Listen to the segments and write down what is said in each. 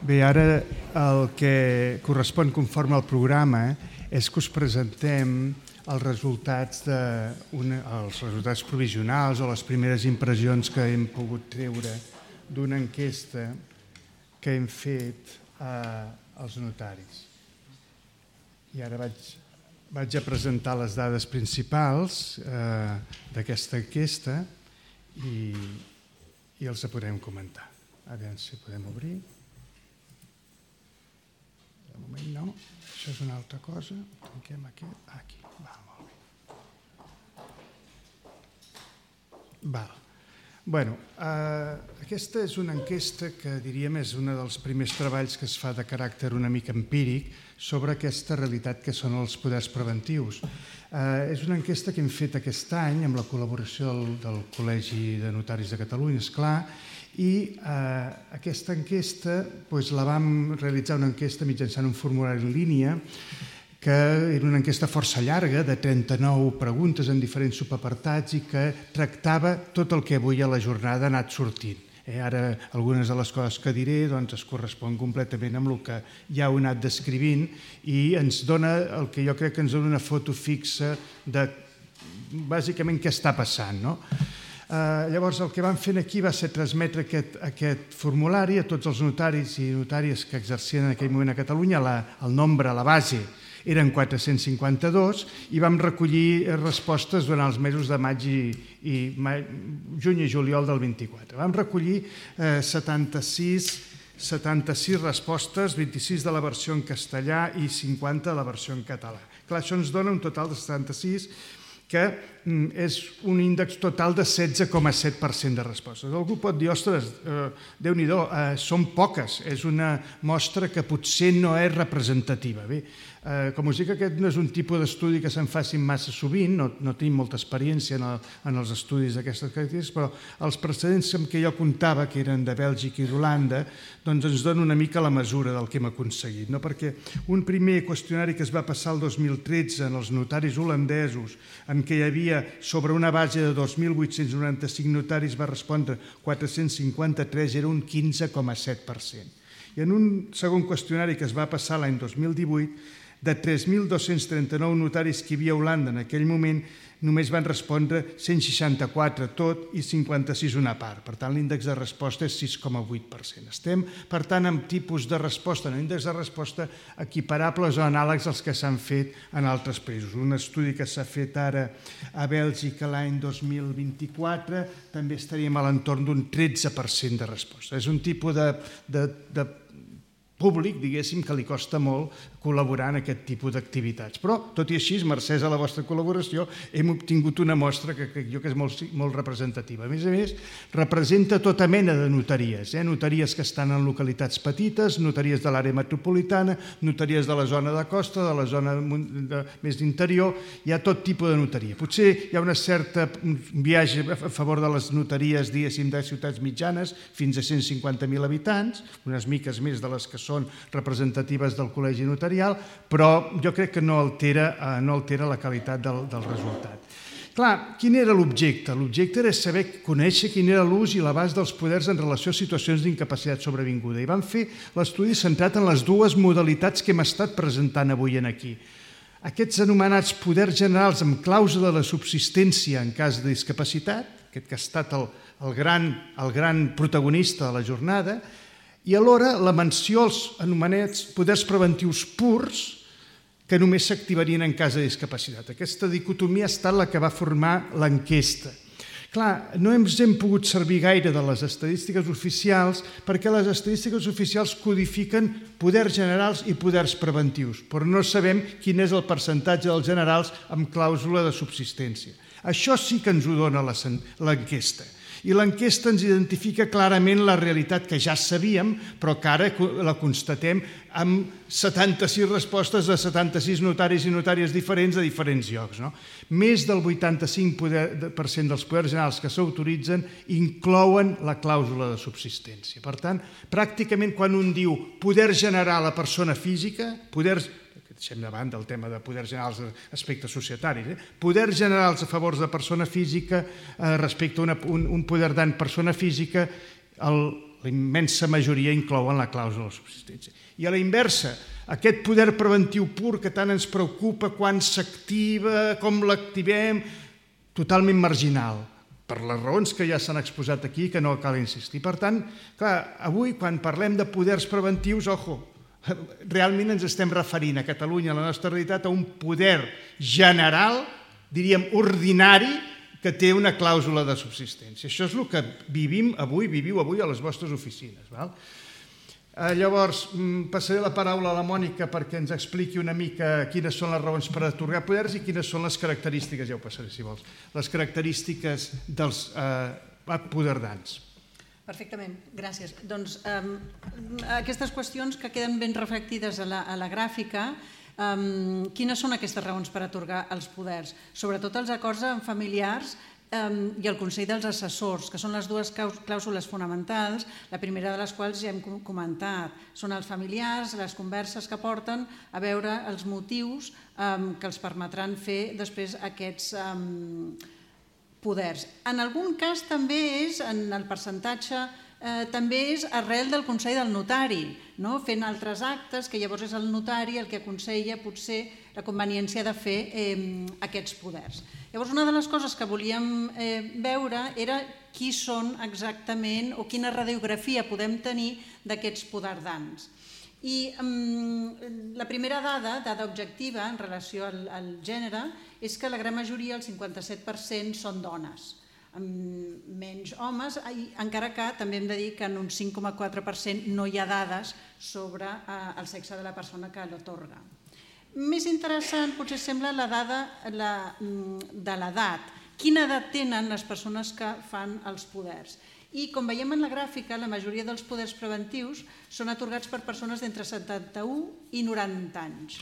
Bé, ara el que correspon conforme al programa és que us presentem els resultats provisionals o les primeres impressions que hem pogut treure d'una enquesta que hem fet als notaris. I ara vaig a presentar les dades principals d'aquesta enquesta i els podem comentar. A veure si podem obrir. De moment no, això és una altra cosa. Tanquem aquest. Aquí, va, molt bé. Val. Bueno, aquesta és una enquesta que diríem és un dels primers treballs que es fa de caràcter una mica empíric sobre aquesta realitat que són els poders preventius. És una enquesta que hem fet aquest any amb la col·laboració del Col·legi de Notaris de Catalunya, esclar, i aquesta enquesta la vam realitzar una enquesta mitjançant un formulari en línia que era una enquesta força llarga de 39 preguntes en diferents subapartats i que tractava tot el que avui a la jornada ha anat sortint. Ara algunes de les coses que diré es correspon completament amb el que ja heu anat descrivint i ens dona el que jo crec que ens dona una foto fixa de bàsicament què està passant, no? Llavors el que vam fer aquí va ser transmetre aquest formulari a tots els notaris i notàries que exercien en aquell moment a Catalunya. El nombre, la base, eren 452 i vam recollir respostes durant els mesos de juny i juliol del 24. Vam recollir 76 respostes, 26 de la versió en castellà i 50 de la versió en català. Clar, això ens dona un total de 76, que és un índex total de 16,7% de respostes. Algú pot dir, ostres, Déu-n'hi-do, són poques, és una mostra que potser no és representativa. Bé, com us dic, aquest no és un tipus d'estudi que se'n facin massa sovint, no tenim molta experiència en els estudis d'aquestes característiques, però els precedents amb què jo comptava, que eren de Bèlgica i d'Holanda, doncs ens donen una mica la mesura del que hem aconseguit, perquè un primer qüestionari que es va passar el 2013 en els notaris holandesos, en què hi havia sobre una base de 2.895 notaris va respondre 453, era un 15,7%. I en un segon qüestionari que es va passar l'any 2018, de 3.239 notaris que hi havia a Holanda en aquell moment, només van respondre 164 tot i 56 una part. Per tant, l'índex de resposta és 6,8%. Estem, per tant, amb tipus de resposta, en índex de resposta equiparables o anàlegs als que s'han fet en altres països. Un estudi que s'ha fet ara a Bèlgica l'any 2024 també estaríem a l'entorn d'un 13% de resposta. És un tipus de públic, diguéssim, que li costa molt col·laborar en aquest tipus d'activitats. Però, tot i així, mercès a la vostra col·laboració, hem obtingut una mostra que crec jo que és molt representativa. A més, representa tota mena de notaries, notaries que estan en localitats petites, notaries de l'àrea metropolitana, notaries de la zona de costa, de la zona més d'interior, hi ha tot tipus de notaria. Potser hi ha una certa viatge a favor de les notaries, diguéssim, de ciutats mitjanes, fins a 150.000 habitants, unes miques més de les que són representatives del Col·legi Notarial, però jo crec que no altera la qualitat del resultat. Clar, quin era l'objecte? L'objecte era conèixer quin era l'ús i l'abast dels poders en relació a situacions d'incapacitat sobrevinguda. I vam fer l'estudi centrat en les dues modalitats que hem estat presentant avui aquí. Aquests anomenats poders generals amb clàusula de subsistència en cas de discapacitat, aquest que ha estat el gran protagonista de la jornada, i alhora la menció als anomenats poders preventius purs que només s'activarien en cas de discapacitat. Aquesta dicotomia ha estat la que va formar l'enquesta. Clar, no ens hem pogut servir gaire de les estadístiques oficials perquè les estadístiques oficials codifiquen poders generals i poders preventius, però no sabem quin és el percentatge dels generals amb clàusula de subsistència. Això sí que ens ho dona l'enquesta. I l'enquesta ens identifica clarament la realitat que ja sabíem, però que ara la constatem amb 76 respostes de 76 notaris i notàries diferents de diferents llocs. Més del 85% dels poders generals que s'autoritzen inclouen la clàusula de subsistència. Per tant, pràcticament quan un diu poder generar la persona física, deixem de banda el tema de poders generals d'aspectes societaris, poders generals a favor de persona física respecte a un poder d'en persona física, la immensa majoria inclouen la clàusula de subsistència. I a la inversa, aquest poder preventiu pur que tant ens preocupa quan s'activa, com l'activem, totalment marginal, per les raons que ja s'han exposat aquí, que no cal insistir. Per tant, clar, avui quan parlem de poders preventius, ojo, realment ens estem referint a Catalunya, a la nostra realitat, a un poder general, diríem ordinari, que té una clàusula de subsistència. Això és el que viviu avui a les vostres oficines. Llavors, passaré la paraula a la Mònica perquè ens expliqui una mica quines són les raons per atorgar poders i quines són les característiques, ja ho passaré si vols, les característiques dels apoderdants. Perfectament, gràcies. Doncs aquestes qüestions que queden ben reflectides a la gràfica, quines són aquestes raons per atorgar els poders? Sobretot els acords amb familiars i el Consell dels Assessors, que són les dues clàusules fonamentals, la primera de les quals ja hem comentat. Són els familiars, les converses que porten a veure els motius que els permetran fer després aquests poders. En algun cas també és, en el percentatge, també és arrel del Consell del Notari, fent altres actes que llavors és el notari el que aconsella potser la conveniència de fer aquests poders. Llavors una de les coses que volíem veure era qui són exactament o quina radiografia podem tenir d'aquests poderdants. I la primera dada objectiva en relació al gènere és que la gran majoria, el 57%, són dones, amb menys homes, encara que també hem de dir que en un 5,4% no hi ha dades sobre el sexe de la persona que l'atorga. Més interessant potser sembla la dada de l'edat. Quina edat tenen les persones que fan els poders? I com veiem en la gràfica, la majoria dels poders preventius són atorgats per persones d'entre 71 i 90 anys.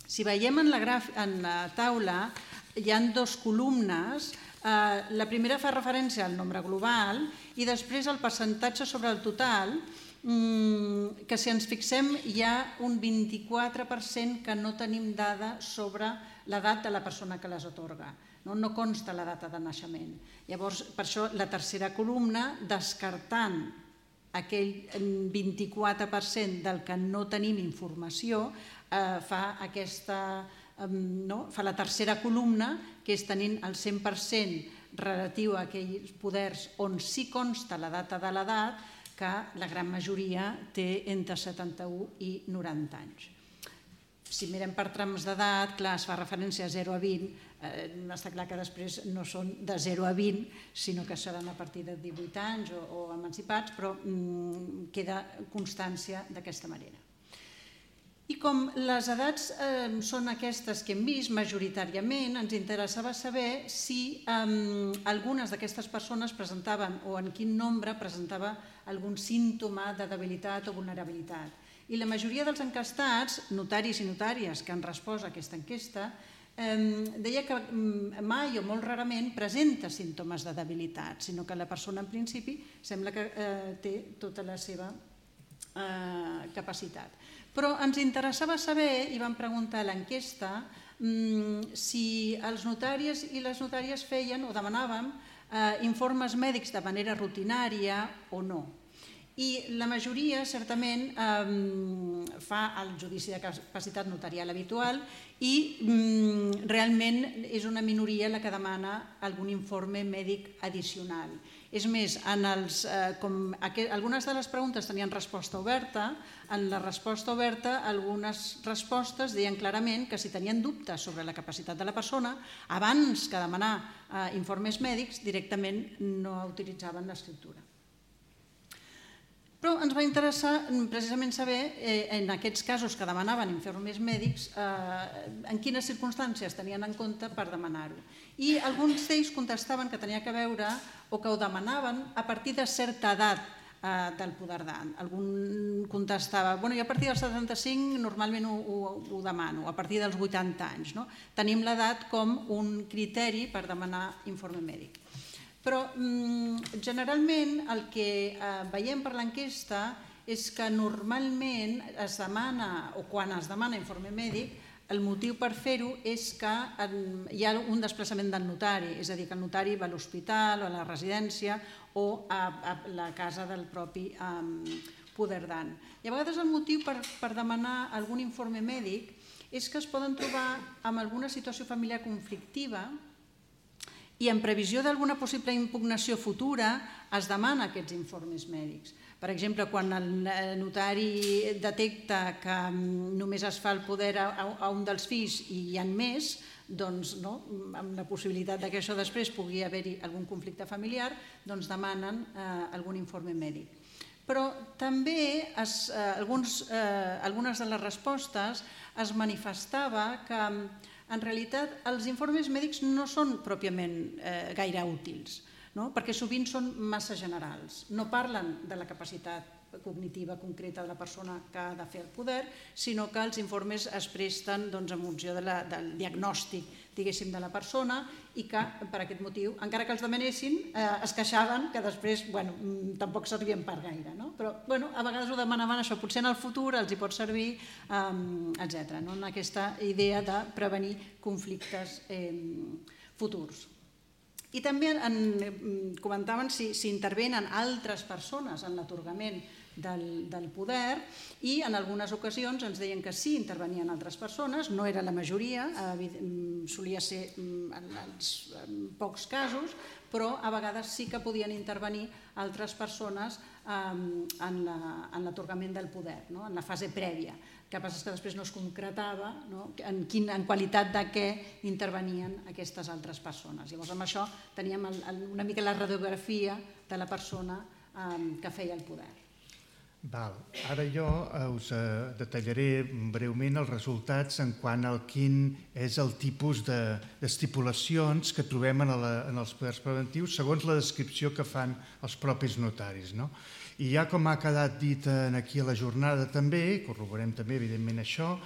Si veiem en la taula, hi ha dues columnes. La primera fa referència al nombre global i després al percentatge sobre el total, que si ens fixem hi ha un 24% que no tenim dada sobre l'edat de la persona que les atorga. No consta la data de naixement. Llavors, per això, la tercera columna, descartant aquell 24% del que no tenim informació, fa la tercera columna, que és tenint el 100% relatiu a aquells poders on sí consta la data de l'edat, que la gran majoria té entre 71 i 90 anys. Si mirem per trams d'edat, clar, es fa referència a 0 a 20, està clar que després no són de 0 a 20, sinó que seran a partir de 18 anys o emancipats, però queda constància d'aquesta manera. I com les edats són aquestes que hem vist majoritàriament, ens interessava saber si algunes d'aquestes persones presentaven o en quin nombre presentava algun símptoma de debilitat o vulnerabilitat. I la majoria dels encastats, notaris i notàries que han respost a aquesta enquesta, deia que mai o molt rarament presenta símptomes de debilitat, sinó que la persona en principi sembla que té tota la seva capacitat. Però ens interessava saber, i vam preguntar a l'enquesta, si els notaris i les notàries feien o demanaven informes mèdics de manera rutinària o no. I la majoria, certament, fa el judici de capacitat notarial habitual i realment és una minoria la que demana algun informe mèdic addicional. És més, algunes de les preguntes tenien resposta oberta. En la resposta oberta, algunes respostes deien clarament que si tenien dubtes sobre la capacitat de la persona, abans que demanar informes mèdics, directament no utilitzaven l'escriptura. Però ens va interessar precisament saber, en aquests casos que demanaven informes mèdics, en quines circumstàncies tenien en compte per demanar-ho. I alguns d'ells contestaven que tenia que veure o que ho demanaven a partir de certa edat del poderdant. Algun contestava, jo a partir dels 75 normalment ho demano, a partir dels 80 anys. Tenim l'edat com un criteri per demanar informe mèdic. Però generalment el que veiem per l'enquesta és que normalment es demana, o quan es demana informe mèdic, el motiu per fer-ho és que hi ha un desplaçament del notari, és a dir, que el notari va a l'hospital o a la residència o a la casa del propi poderdant. I a vegades el motiu per demanar algun informe mèdic és que es poden trobar amb alguna situació familiar conflictiva i en previsió d'alguna possible impugnació futura es demana aquests informes mèdics. Per exemple, quan el notari detecta que només es fa el poder a un dels fills i hi ha més, doncs amb la possibilitat que això després pugui haver-hi algun conflicte familiar, doncs demanen algun informe mèdic. Però també algunes de les respostes es manifestava que en realitat els informes mèdics no són pròpiament gaire útils, perquè sovint són massa generals. No parlen de la capacitat cognitiva concreta de la persona que ha de fer el poder, sinó que els informes es presten en funció del diagnòstic, diguéssim, de la persona i que, per aquest motiu, encara que els demanessin, es queixaven que després tampoc servien per gaire. Però a vegades ho demanaven això, potser en el futur els hi pot servir, etc. En aquesta idea de prevenir conflictes futurs. I també comentaven si intervenen altres persones en l'atorgament del poder i en algunes ocasions ens deien que sí, intervenien altres persones, no era la majoria, solia ser en pocs casos, però a vegades sí que podien intervenir altres persones en l'atorgament del poder, en la fase prèvia. El que passa és que després no es concretava en qualitat de què intervenien aquestes altres persones. Llavors amb això teníem una mica la radiografia de la persona que feia el poder. Ara jo us detallaré breument els resultats en quant al quin és el tipus d'estipulacions que trobem en els poders preventius segons la descripció que fan els propis notaris. I ja com ha quedat dit aquí a la jornada també, corroborem també evidentment això,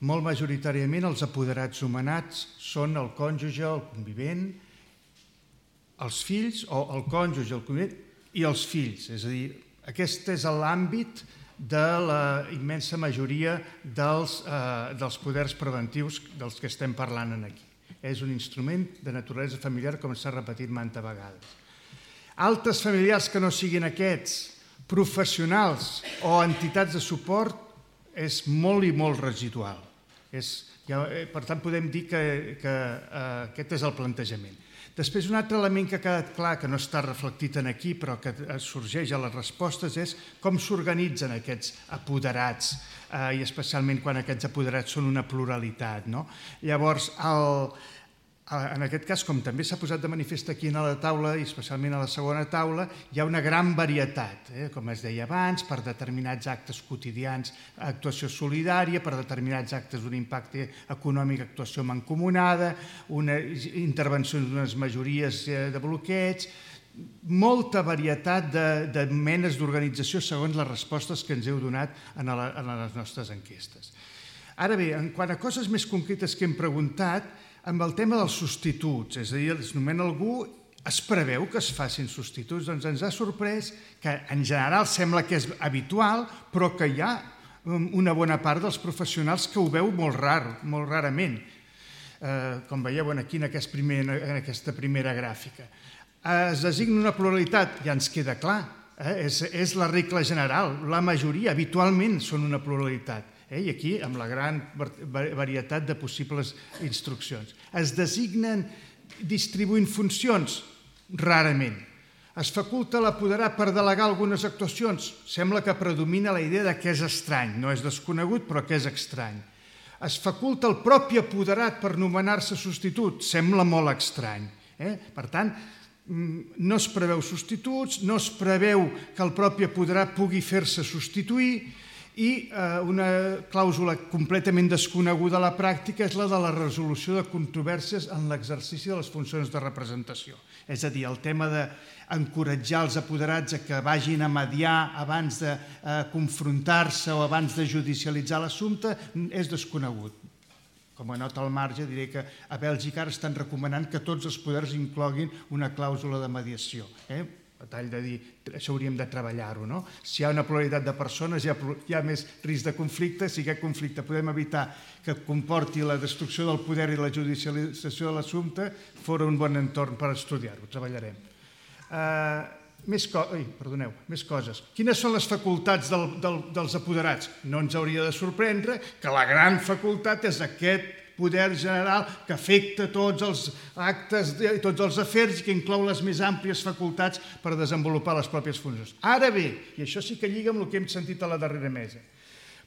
molt majoritàriament els apoderats nomenats són el cònjuge, el convivent, els fills o el cònjuge, el convivent i els fills, és a dir, aquest és l'àmbit de la immensa majoria dels poders preventius dels que estem parlant aquí. És un instrument de naturalesa familiar, com s'ha repetit mantes vegades. Altres familiars que no siguin aquests, professionals o entitats de suport, és molt i molt residual. Per tant, podem dir que aquest és el plantejament. Després, un altre element que ha quedat clar, que no està reflectit aquí, però que sorgeix a les respostes, és com s'organitzen aquests apoderats, i especialment quan aquests apoderats són una pluralitat. Llavors, en aquest cas, com també s'ha posat de manifest aquí a la taula, i especialment a la segona taula, hi ha una gran varietat, com es deia abans, per determinats actes quotidians, actuació solidària, per determinats actes d'un impacte econòmic, actuació mancomunada, una intervenció d'unes majories de bloqueig, molta varietat de menes d'organització segons les respostes que ens heu donat en les nostres enquestes. Ara bé, en quant a coses més concretes que hem preguntat, amb el tema dels substituts, és a dir, es nomena algú, es preveu que es facin substituts, doncs ens ha sorprès que en general sembla que és habitual, però que hi ha una bona part dels professionals que ho veu molt rarament, com veieu aquí en aquesta primera gràfica. Es designa una pluralitat, ja ens queda clar, és la regla general, la majoria habitualment són una pluralitat. I aquí amb la gran varietat de possibles instruccions. Es designen distribuint funcions? Rarament. Es faculta l'apoderat per delegar algunes actuacions? Sembla que predomina la idea que és estrany, no és desconegut però que és estrany. Es faculta el propi apoderat per nomenar-se substitut? Sembla molt estrany. Per tant, no es preveu substituts, no es preveu que el propi apoderat pugui fer-se substituir, i una clàusula completament desconeguda a la pràctica és la de la resolució de controvèrsies en l'exercici de les funcions de representació. És a dir, el tema d'encoratjar els apoderats a que vagin a mediar abans de confrontar-se o abans de judicialitzar l'assumpte és desconegut. Com a nota al marge diré que a Bèlgica ara estan recomanant que tots els poders incloguin una clàusula de mediació. A tall de dir, això hauríem de treballar-ho, no? Si hi ha una pluralitat de persones, hi ha més risc de conflicte. Si aquest conflicte podem evitar que comporti la destrucció del poder i la judicialització de l'assumpte, fora un bon entorn per estudiar-ho, treballarem. Més coses. Quines són les facultats dels apoderats? No ens hauria de sorprendre que la gran facultat és aquest poder general que afecta tots els actes i tots els afers i que inclou les més àmplies facultats per desenvolupar les pròpies funcions. Ara bé, i això sí que lliga amb el que hem sentit a la darrera mesa,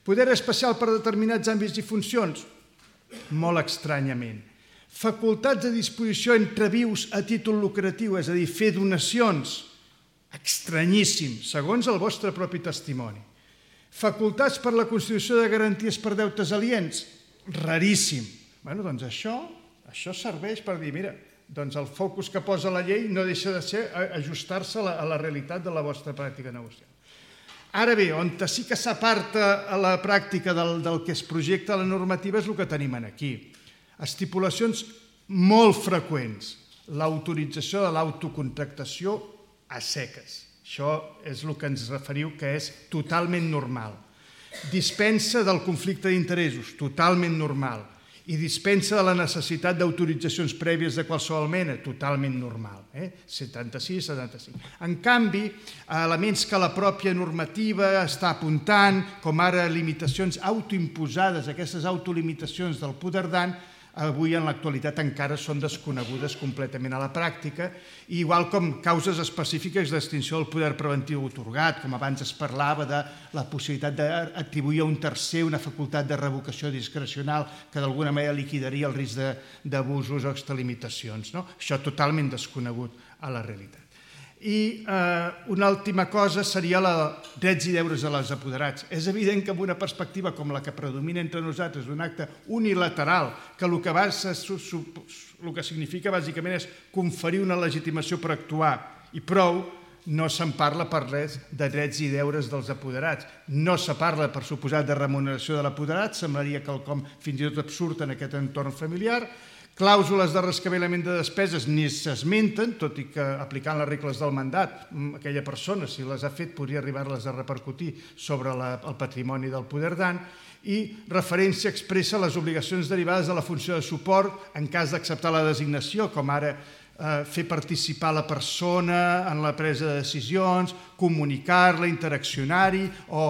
poder especial per determinats àmbits i funcions? Molt estranyament. Facultats a disposició entre vius a títol lucratiu, és a dir, fer donacions? Estranyíssim, segons el vostre propi testimoni. Facultats per la constitució de garanties per deutes aliens? Raríssim. Bé, doncs això serveix per dir, mira, doncs el focus que posa la llei no deixa de ser ajustar-se a la realitat de la vostra pràctica negocial. Ara bé, on sí que s'aparta a la pràctica del que es projecta a la normativa és el que tenim aquí. Estipulacions molt freqüents. L'autorització de l'autocontractació a seques. Això és el que ens referiu que és totalment normal. Dispensa del conflicte d'interessos, totalment normal. I dispensa de la necessitat d'autoritzacions prèvies de qualsevol mena, totalment normal. 76, 75. En canvi, elements que la pròpia normativa està apuntant, com ara limitacions autoimposades, aquestes autolimitacions del poder dan, avui en l'actualitat encara són desconegudes completament a la pràctica, igual com causes específiques d'extinció del poder preventiu atorgat, com abans es parlava de la possibilitat d'atribuir a un tercer una facultat de revocació discrecional que d'alguna manera liquidaria el risc d'abusos o extralimitacions. Això totalment desconegut a la realitat. I una última cosa seria els drets i deures de les apoderats. És evident que amb una perspectiva com la que predomina entre nosaltres, d'un acte unilateral, que el que significa bàsicament és conferir una legitimació per actuar i prou, no se'n parla per res de drets i deures dels apoderats. No se parla, per suposat, de remuneració de l'apoderat, semblaria quelcom fins i tot absurd en aquest entorn familiar. Clàusules de rescabalament de despeses ni s'esmenten, tot i que aplicant les regles del mandat, aquella persona, si les ha fet, podria arribar-les a repercutir sobre el patrimoni del poder dan, i referència expressa a les obligacions derivades de la funció de suport en cas d'acceptar la designació, com ara fer participar la persona en la presa de decisions, comunicar-la, interaccionar-hi o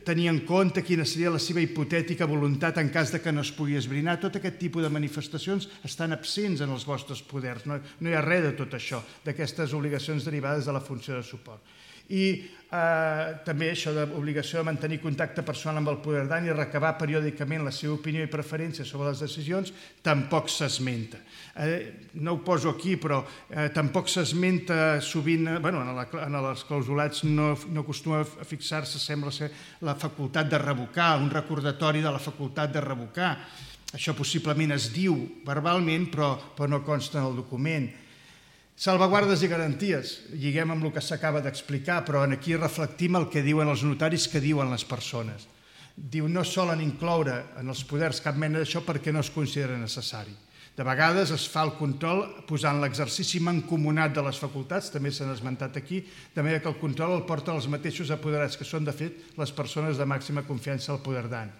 tenir en compte quina seria la seva hipotètica voluntat en cas que no es pugui esbrinar. Tot aquest tipus de manifestacions estan absents en els vostres poders. No hi ha res de tot això, d'aquestes obligacions derivades de la funció de suport. I també això d'obligació de mantenir contacte personal amb el poder dan i recabar periòdicament la seva opinió i preferència sobre les decisions tampoc s'esmenta. No ho poso aquí, però tampoc s'esmenta sovint, en els clausulats no acostuma a fixar-se, sembla ser, la facultat de revocar, un recordatori de la facultat de revocar. Això possiblement es diu verbalment, però no consta en el document. Salvaguardes i garanties, lliguem amb el que s'acaba d'explicar, però aquí reflectim el que diuen els notaris, que diuen les persones. Diu, no solen incloure en els poders cap mena d'això perquè no es considera necessari. De vegades es fa el control posant l'exercici mancomunat de les facultats, també s'han esmentat aquí, de manera que el control el porten els mateixos apoderats, que són, de fet, les persones de màxima confiança al poder dan.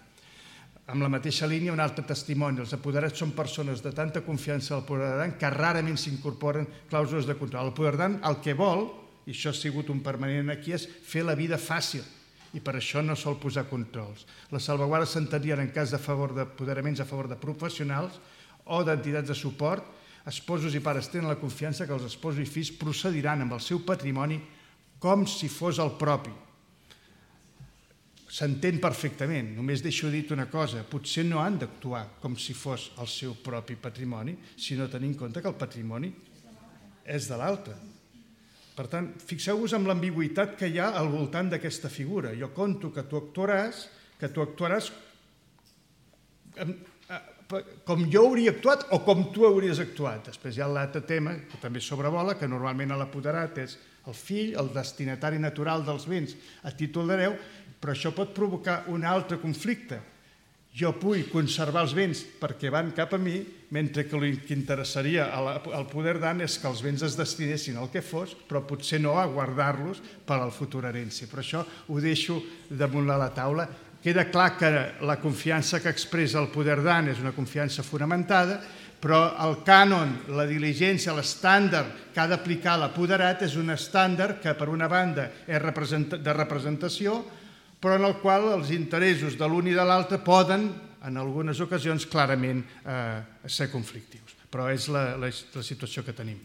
Amb la mateixa línia, un altre testimoni. Els apoderats són persones de tanta confiança al poder dan que rarament s'incorporen clàusules de control. El poder dan el que vol, i això ha sigut un permanent aquí, és fer la vida fàcil, i per això no sol posar controls. Les salvaguardes s'entendrien en cas d'apoderaments a favor de professionals o d'entitats de suport. Esposos i pares tenen la confiança que els esposos i fills procediran amb el seu patrimoni com si fos el propi. S'entén perfectament, només deixo dit una cosa, potser no han d'actuar com si fos el seu propi patrimoni, sinó tenir en compte que el patrimoni és de l'altre. Per tant, fixeu-vos en l'ambigüitat que hi ha al voltant d'aquesta figura. Jo conto que tu actuaràs com jo hauria actuat o com tu hauries actuat. Després hi ha l'altre tema, que també sobrevola, que normalment a l'apoderat és el fill, el destinatari natural dels béns a títol d'hereu, però això pot provocar un altre conflicte. Jo vull conservar els béns perquè van cap a mi, mentre que el que interessaria al poder dan és que els béns es destinessin al que fos, però potser no a guardar-los per a la futura herència. Per això ho deixo damunt de la taula. Queda clar que la confiança que expressa el poder dan és una confiança fonamentada, Però el cànon, la diligència, l'estàndard que ha d'aplicar l'apoderat és un estàndard que, per una banda, és de representació, però en el qual els interessos de l'un i de l'altre poden, en algunes ocasions, clarament ser conflictius. Però és la situació que tenim.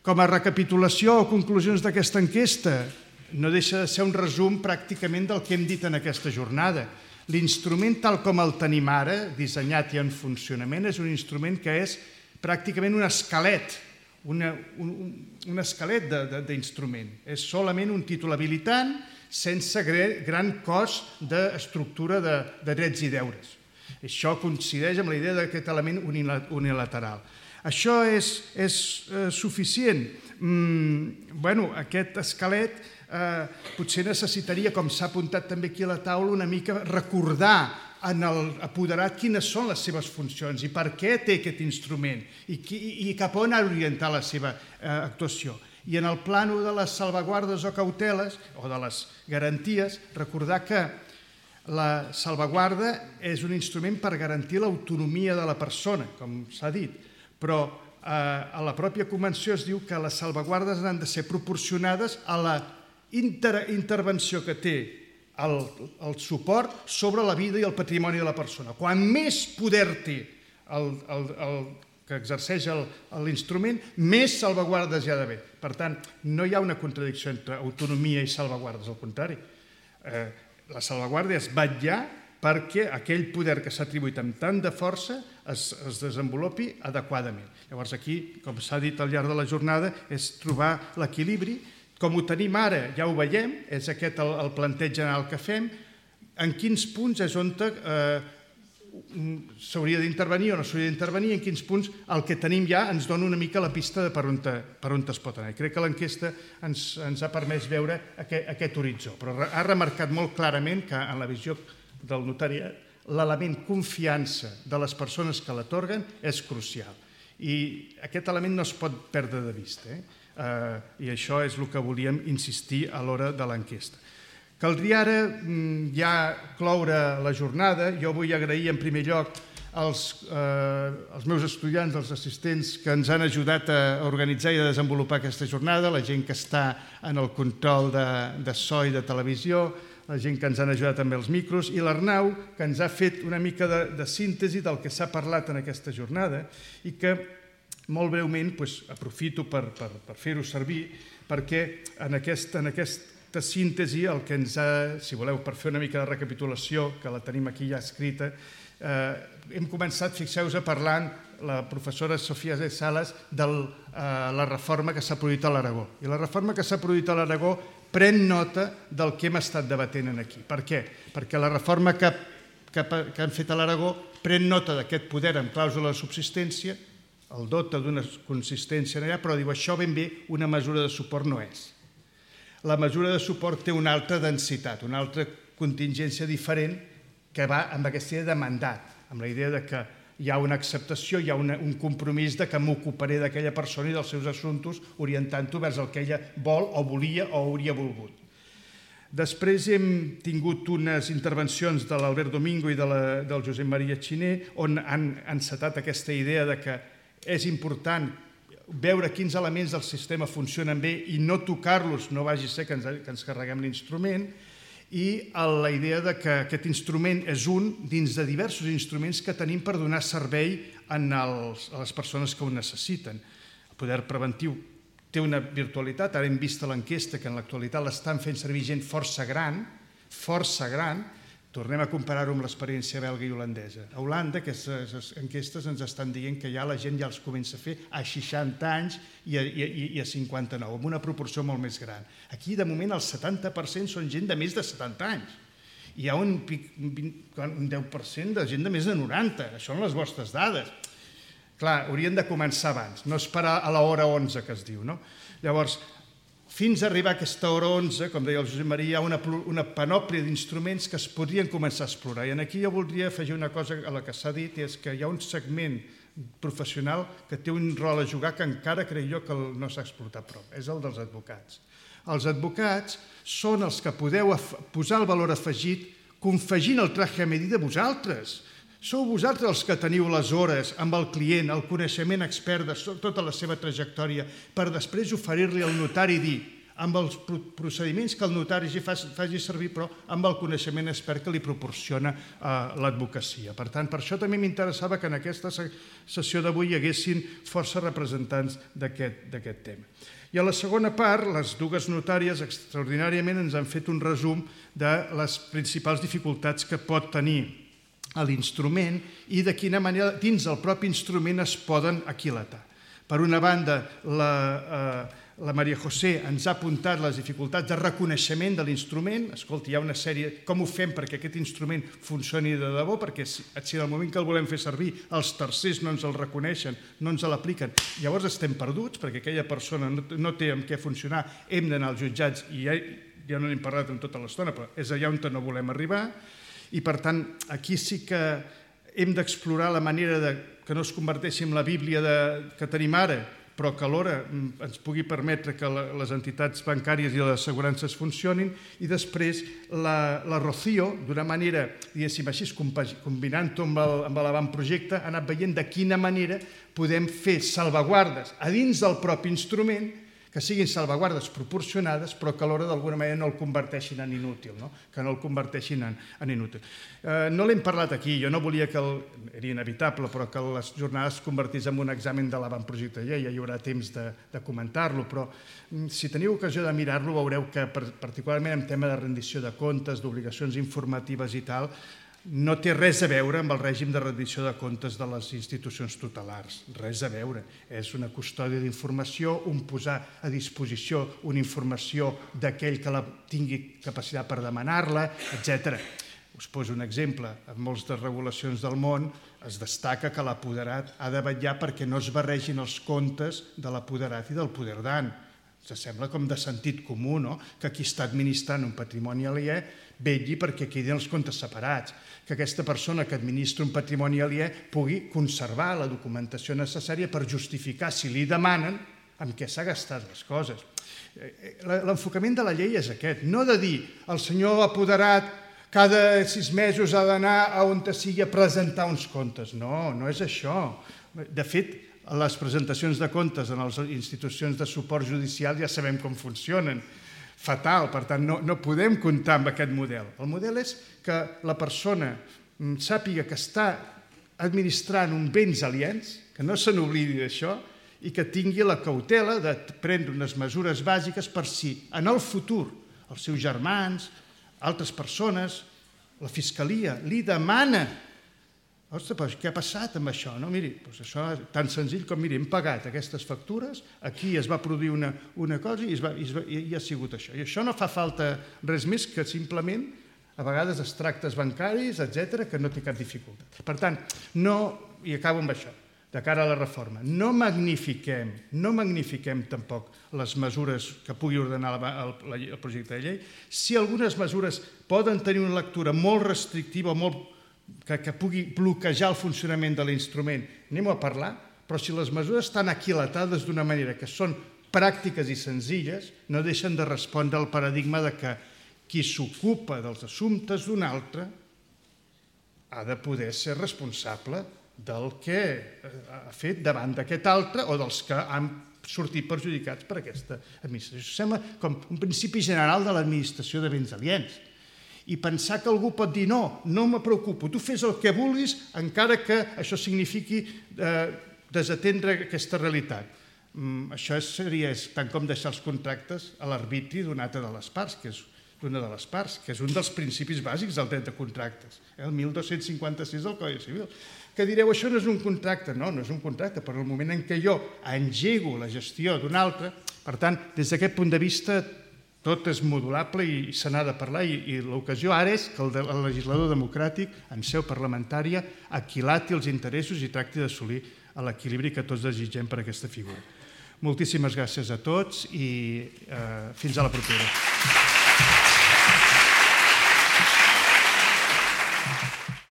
Com a recapitulació o conclusions d'aquesta enquesta, no deixa de ser un resum pràcticament del que hem dit en aquesta jornada. L'instrument tal com el tenim ara, dissenyat i en funcionament, és un instrument que és pràcticament un esquelet, un esquelet d'instrument. És solament un títol habilitant sense gran cost d'estructura de drets i deures. Això coincideix amb la idea d'aquest element unilateral. Això és suficient? Aquest esquelet potser necessitaria, com s'ha apuntat també aquí a la taula, una mica recordar en l'apoderat quines són les seves funcions i per què té aquest instrument i cap on ha d'orientar la seva actuació. I en el plànol de les salvaguardes o cauteles, o de les garanties, recordar que la salvaguarda és un instrument per garantir l'autonomia de la persona, com s'ha dit, però a la pròpia Convenció es diu que les salvaguardes han de ser proporcionades a la intervenció que té el suport sobre la vida i el patrimoni de la persona. Quan més poder té el que exerceix l'instrument, més salvaguardes hi ha d'haver. Per tant, no hi ha una contradicció entre autonomia i salvaguardes, al contrari. La salvaguarda és vetllar perquè aquell poder que s'ha atribuït amb tant de força es desenvolupi adequadament. Llavors aquí, com s'ha dit al llarg de la jornada, és trobar l'equilibri. Com ho tenim ara, ja ho veiem, és aquest el planteig general que fem, en quins punts és on s'hauria d'intervenir o no s'hauria d'intervenir, en quins punts el que tenim ja ens dona una mica la pista de per on es pot anar. I crec que l'enquesta ens ha permès veure aquest horitzó, però ha remarcat molt clarament que en la visió del notariat l'element confiança de les persones que l'atorguen és crucial. I aquest element no es pot perdre de vista, i això és el que volíem insistir a l'hora de l'enquesta. Caldria ara ja cloure la jornada. Jo vull agrair en primer lloc als meus estudiants, als assistents que ens han ajudat a organitzar i a desenvolupar aquesta jornada, la gent que està en el control de so i de televisió, la gent que ens han ajudat amb els micros, i l'Arnau, que ens ha fet una mica de síntesi del que s'ha parlat en aquesta jornada i que molt breument aprofito per fer-ho servir perquè en aquesta síntesi el que ens ha, si voleu, per fer una mica de recapitulació, que la tenim aquí ja escrita, hem començat, fixeu-vos, parlant, la professora Sofia de Sales, de la reforma que s'ha produït a l'Aragó. I la reforma que s'ha produït a l'Aragó pren nota del que hem estat debatent aquí. Per què? Perquè la reforma que han fet a l'Aragó pren nota d'aquest poder amb clàusula de subsistència, el dota d'una consistència allà, però diu això ben bé una mesura de suport no és. La mesura de suport té una altra densitat, una altra contingència diferent que va amb aquesta idea de mandat, amb la idea que hi ha una acceptació, hi ha un compromís que m'ocuparé d'aquella persona i dels seus assumptes orientant-ho vers el que ella vol o volia o hauria volgut. Després hem tingut unes intervencions de l'Albert Domingo i del Josep Maria Xiner on han encetat aquesta idea que és important veure quins elements del sistema funcionen bé i no tocar-los, no vagi a ser que ens carreguem l'instrument, i la idea que aquest instrument és un dins de diversos instruments que tenim per donar servei a les persones que ho necessiten. El poder preventiu té una virtualitat, ara hem vist a l'enquesta que en l'actualitat l'estan fent servir gent força gran, tornem a comparar-ho amb l'experiència belga i holandesa. A Holanda aquestes enquestes ens estan dient que ja la gent ja els comença a fer a 60 anys i a 59, amb una proporció molt més gran. Aquí, de moment, el 70% són gent de més de 70 anys. Hi ha un 10% de gent de més de 90. Això són les vostres dades. Clar, haurien de començar abans, no esperar a l'hora 11 que es diu, no? Llavors, fins a arribar a aquesta hora 11, com deia el Josep Maria, hi ha una panòplia d'instruments que es podrien començar a explorar. I aquí jo voldria afegir una cosa a la que s'ha dit, és que hi ha un segment professional que té un rol a jugar que encara crec jo que no s'ha explotat prou, és el dels advocats. Els advocats són els que podeu posar el valor afegit confegint el traje a medida vosaltres. Sou vosaltres els que teniu les hores amb el client, el coneixement expert de tota la seva trajectòria, per després oferir-li al notari i dir, amb els procediments que el notari faci servir, però amb el coneixement expert que li proporciona l'advocacia. Per tant, per això també m'interessava que en aquesta sessió d'avui hi haguessin força representants d'aquest tema. I a la segona part, les dues notàries extraordinàriament ens han fet un resum de les principals dificultats que pot tenir a l'instrument i de quina manera dins el propi instrument es poden aquilatar. Per una banda, la Maria José ens ha apuntat les dificultats de reconeixement de l'instrument. Escolta, hi ha una sèrie... Com ho fem perquè aquest instrument funcioni de debò? Perquè si en el moment que el volem fer servir els tercers no ens el reconeixen, no ens l'apliquen, llavors estem perduts perquè aquella persona no té amb què funcionar, hem d'anar als jutjats i ja no n'hem parlat en tota l'estona, però és allà on no volem arribar. I, per tant, aquí sí que hem d'explorar la manera que no es converteixi en la Bíblia que tenim ara, però que alhora ens pugui permetre que les entitats bancàries i les assegurances funcionin. I després la Rocío, d'una manera, diguéssim així, combinant-ho amb l'avantprojecte, ha anat veient de quina manera podem fer salvaguardes a dins del propi instrument que siguin salvaguardes proporcionades, però que alhora d'alguna manera no el converteixin en inútil, que no el converteixin en inútil. No l'hem parlat aquí, jo no volia que, era inevitable, però que les jornades es convertís en un examen de l'avantprojecte de llei, ja hi haurà temps de comentar-lo, però si teniu ocasió de mirar-lo veureu que particularment en tema de rendició de comptes, d'obligacions informatives i tal, no té res a veure amb el règim de rendició de comptes de les institucions tutelars, res a veure. És una custòdia d'informació, un posar a disposició una informació d'aquell que la tingui capacitat per demanar-la, etc. Us poso un exemple. En moltes de regulacions del món es destaca que l'apoderat ha de vetllar perquè no es barregin els comptes de l'apoderat i del poderdant. Sembla com de sentit comú, no?, que qui està administrant un patrimoni aliè vetlli perquè quedin els comptes separats, que aquesta persona que administra un patrimoni aliè pugui conservar la documentació necessària per justificar, si li demanen, amb què s'ha gastat les coses. L'enfocament de la llei és aquest, no de dir el senyor apoderat cada 6 mesos ha d'anar a on sigui a presentar uns comptes. No, no és això. De fet, les presentacions de comptes en les institucions de suport judicial ja sabem com funcionen. Fatal, per tant, no podem comptar amb aquest model. El model és que la persona sàpiga que està administrant uns béns aliens, que no se n'oblidi d'això, i que tingui la cautela de prendre unes mesures bàsiques per si en el futur els seus germans, altres persones, la Fiscalia li demana: ostres, però què ha passat amb això? Miri, això és tan senzill com, miri, hem pagat aquestes factures, aquí es va produir una cosa i ha sigut això. I això no fa falta res més que simplement, a vegades, extractes bancaris, etc., que no té cap dificultat. Per tant, i acabo amb això, de cara a la reforma, no magnifiquem tampoc les mesures que pugui ordenar el projecte de llei. Si algunes mesures poden tenir una lectura molt restrictiva o molt que pugui bloquejar el funcionament de l'instrument, anem-ho a parlar, però si les mesures estan aquilatades d'una manera que són pràctiques i senzilles, no deixen de respondre al paradigma de que qui s'ocupa dels assumptes d'un altre ha de poder ser responsable del que ha fet davant d'aquest altre o dels que han sortit perjudicats per aquesta administració. Això sembla com un principi general de l'administració de béns aliens. I pensar que algú pot dir no me preocupo, tu fes el que vulguis encara que això signifiqui desatendre aquesta realitat. Això seria tant com deixar els contractes a l'arbitri d'una altra de les parts, que és un dels principis bàsics del dret de contractes, el 1256 del Codi Civil. Que direu, això no és un contracte. No és un contracte, però en el moment en què jo engego la gestió d'un altre, per tant, des d'aquest punt de vista, tot és modulable i se n'ha de parlar, i l'ocasió ara és que el legislador democràtic, en seu parlamentària, aquilati els interessos i tracti d'assolir l'equilibri que tots desitgem per a aquesta figura. Moltíssimes gràcies a tots i fins a la propera.